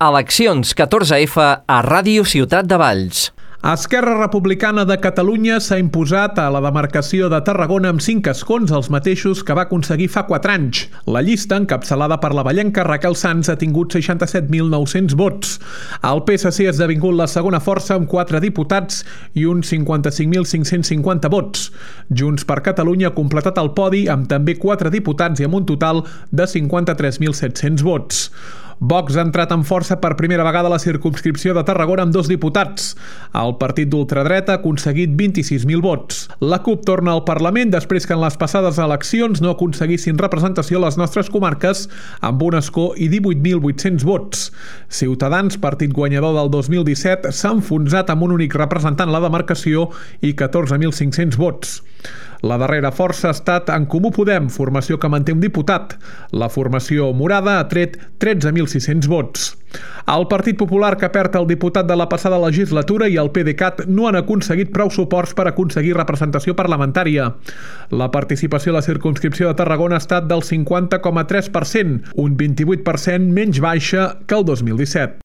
Eleccions 14F a Ràdio Ciutat de Valls. Esquerra Republicana de Catalunya s'ha imposat a la demarcació de Tarragona amb 5 escons, els mateixos que va aconseguir fa 4 anys. La llista, encapçalada per la vallenca Raquel Sans, ha tingut 67.900 vots. El PSC ha esdevingut la segona força amb 4 diputats i uns 55.550 vots. Junts per Catalunya ha completat el podi amb també 4 diputats i amb un total de 53.700 vots. Vox ha entrat amb força per primera vegada a la circumscripció de Tarragona amb 2 diputats. El partit d'ultradreta ha aconseguit 26.000 vots. La CUP torna al Parlament després que en les passades eleccions no aconseguissin representació a les nostres comarques amb un escó i 18.800 vots. Ciutadans, partit guanyador del 2017, s'ha enfonsat amb un únic representant a la demarcació i 14.500 vots. La darrera força ha estat En Comú Podem, formació que manté un diputat. La formació morada ha tret 13.600 vots. El Partit Popular, que perd el diputat de la passada legislatura, i el PDeCAT no han aconseguit prou suports per aconseguir representació parlamentària. La participació a la circumscripció de Tarragona ha estat del 50,3%, un 28% menys baixa que el 2017.